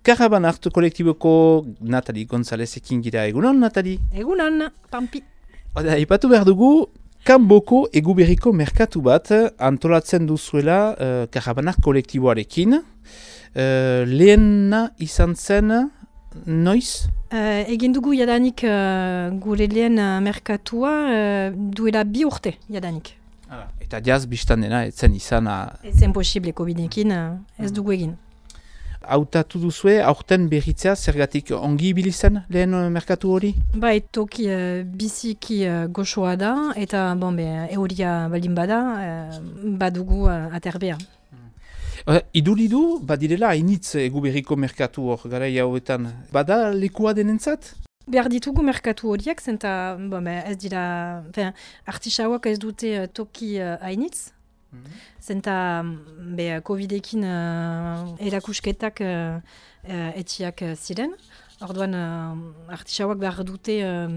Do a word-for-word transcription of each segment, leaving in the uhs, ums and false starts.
Karaban Art kolektiboko Natali Gonzalezekin gira. Egunon, Natali? Egunon, pampi. Oda, ipatu behar dugu, Kanboko eguberriko merkatu bat antolatzen duzuela uh, Karaban Art kolektiboarekin. Uh, lehena izan zen, noiz? Uh, egin dugu jadanik uh, gure lehen uh, merkatua uh, duela bi urte jadanik. Ah, eta jaz biztan dena, etzen izan... Ez zen posible covidekin, uh, ez dugu egin. Hautatu duzue, aurten berritzea, zergatik ongi ibili zen lehen merkatu hori? Bai, toki uh, biziki uh, goxoa da, eta bon, be, euria baldin bada, uh, badugu uh, aterbea. Uh, iduri du, badirela hainitz eguberriko merkatu hor, gara hauetan. Bada lekua denentzat? Behar ditugu merkatu horiek, zenta bon, be, ez dira, artisauak ez dute uh, toki uh, hainitz. Mm-hmm. Zenta be, covidekin uh, erakusketak uh, uh, etxiak uh, ziren. Orduan uh, artisauak behar dute uh,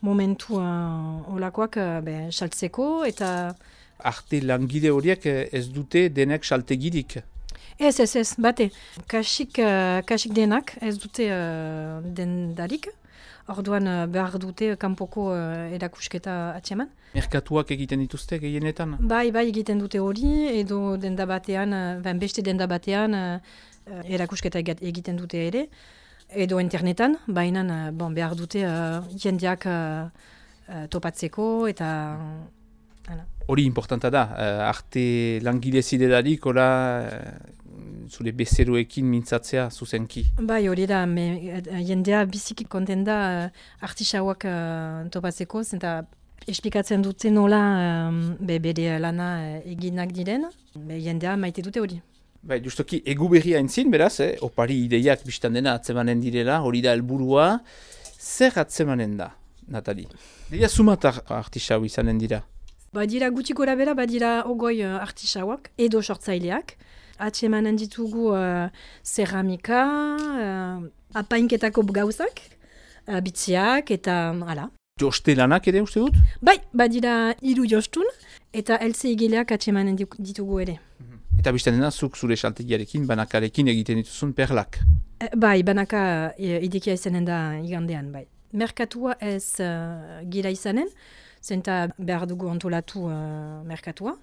momentu uh, olakoak uh, be, saltzeko eta... Arte langile horiek ez dute denek saltegirik? Ez, ez, ez, bate. Kasik, uh, kasik denak ez dute uh, dendarik. Orduan uh, behar dute kanpoko uh, erakusketa atxeman. Merkatuak egiten dituzte gehienetan? Bai, bai egiten dute hori, edo denda batean, uh, beste denda batean uh, erakusketa egiten dute ere. Edo internetan, baina uh, bon, behar dute uh, jendeak uh, uh, topatzeko eta... Uh, Hori importanta da, uh, arte langile ziderarik, ora uh, zure bezeroekin mintzatzea zuzenki. Bai, hori da, me, uh, jendea biziki konten da uh, artisauak uh, topatzeko, zenta esplikatzen dute nola um, be, bere lana uh, eginak diren, be, jendea maite dute hori. Bai, justoki eguberria entzin, beraz, eh? Opari ideiak biztan dena atzemanen direla, hori da helburua. Zer atzemanen da, Natali? Deia sumatar artisau izanen dira? Badira gutxi gora bera, badira ogoi uh, artisauak edo sortzaileak. Atsemanen ditugu uh, ceramika, uh, apainketako gauzak, uh, bitziak eta hala. Joste lanak ere uste dut? Bai, badira hiru jostun eta elze igileak atsemanen ditugu ere. Eta bizten dena zuk zure saltegiarekin, banakarekin egiten dituzun perlak? E, bai, banaka e, idekia izanen da igandean, bai. Merkatua ez uh, gira izanen, zenta behar dugu antolatu uh, merkatua,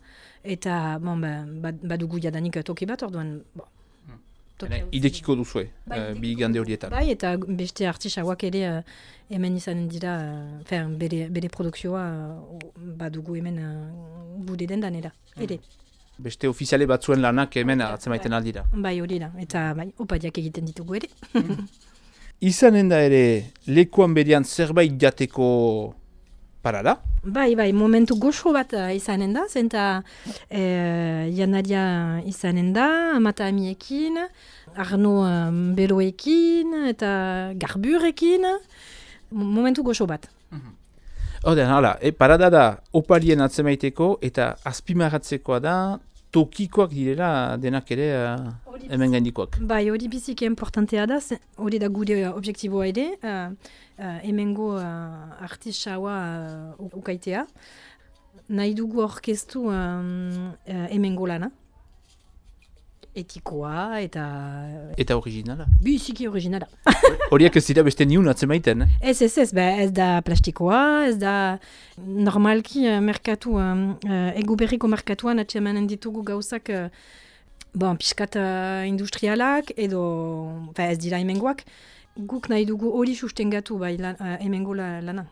eta bon, ba, badugu jadanik toki bat, orduan... Bon, idekiko duzue, bai, uh, bi igande horietan. Bai, eta beste artisauak ere uh, hemen izanen dira, uh, fer, bere, bere produkzioa uh, badugu hemen uh, gude dendanera, ere. Beste ofiziale batzuen lanak hemen atzemaiten bai, aldira. Bai, hori da, eta bai, opadiak egiten ditugu ere. Izanen da ere, lekuan berean zerbait jateko parada? Bai, bai, momentu goxo bat uh, izanen da, zenta eh, janaria izanen da, amata amiekin, Arno um, beloekin eta garburekin, momentu goxo bat. Oden, hala, e, parada da opalien atzemaiteko eta azpimarratzekoa da tokikoak direla denak ere uh, hemen gaindikoak. Bai, hori biziki importantea da, hori da gure objektiboa ere, uh, uh, hemengo uh, artisaua uh, ukaitea. Nahi dugu orkestu um, uh, hemengo lana. Etikoa eta... Eta originala? Biziki originala. Horiak ez dira beste niun atzemaiten? Eh? Ez, ez, ez, be, ez da plastikoa, ez da normalki uh, merkatu, um, uh, eguberriko merkatuan atsemanen ditugu gauzak uh, bon, piskat uh, industrialak edo fe, ez dira hemengoak. Guk nahi dugu hori sustengatu bai lan, uh, hemengo la, lana.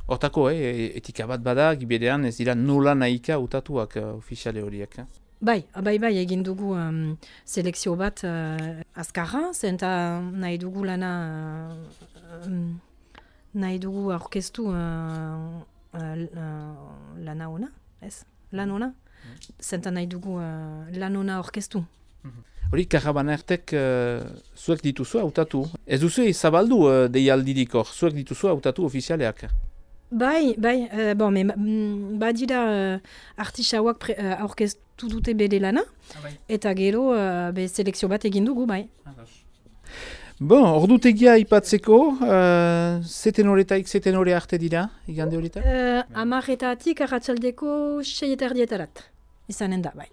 Hortako, eh, etika bat bada, giberean ez dira nola nahika utatuak uh, ofiziale horiek. Eh? Bai, bai, bai, egin dugu um, selekzio bat uh, azkarra, zenta nahi dugu lana, uh, um, nahi dugu aurkeztu uh, uh, lana ona, ez? Lan ona? Mm. Zenta nahi dugu uh, lan ona aurkeztu. Hori, Karaban Artek uh, zuek dituzu hautatu. Ez duzu zabaldu uh, deialdirik hor, zuek dituzu hautatu ofizialeak. Bai, bai, uh, bon, me, mm, badira uh, artisauak uh, aurkeztu dute bere lana, ah, bai. Eta gero uh, be selekzio bat egin dugu, bai. Ah, bon, ordutegia ipatzeko, uh, zeten horretaik, zeten horre arte dira, igande horretak? Uh, Amarretatik arratsaldeko sei eta erdietarat, izanen da, bai.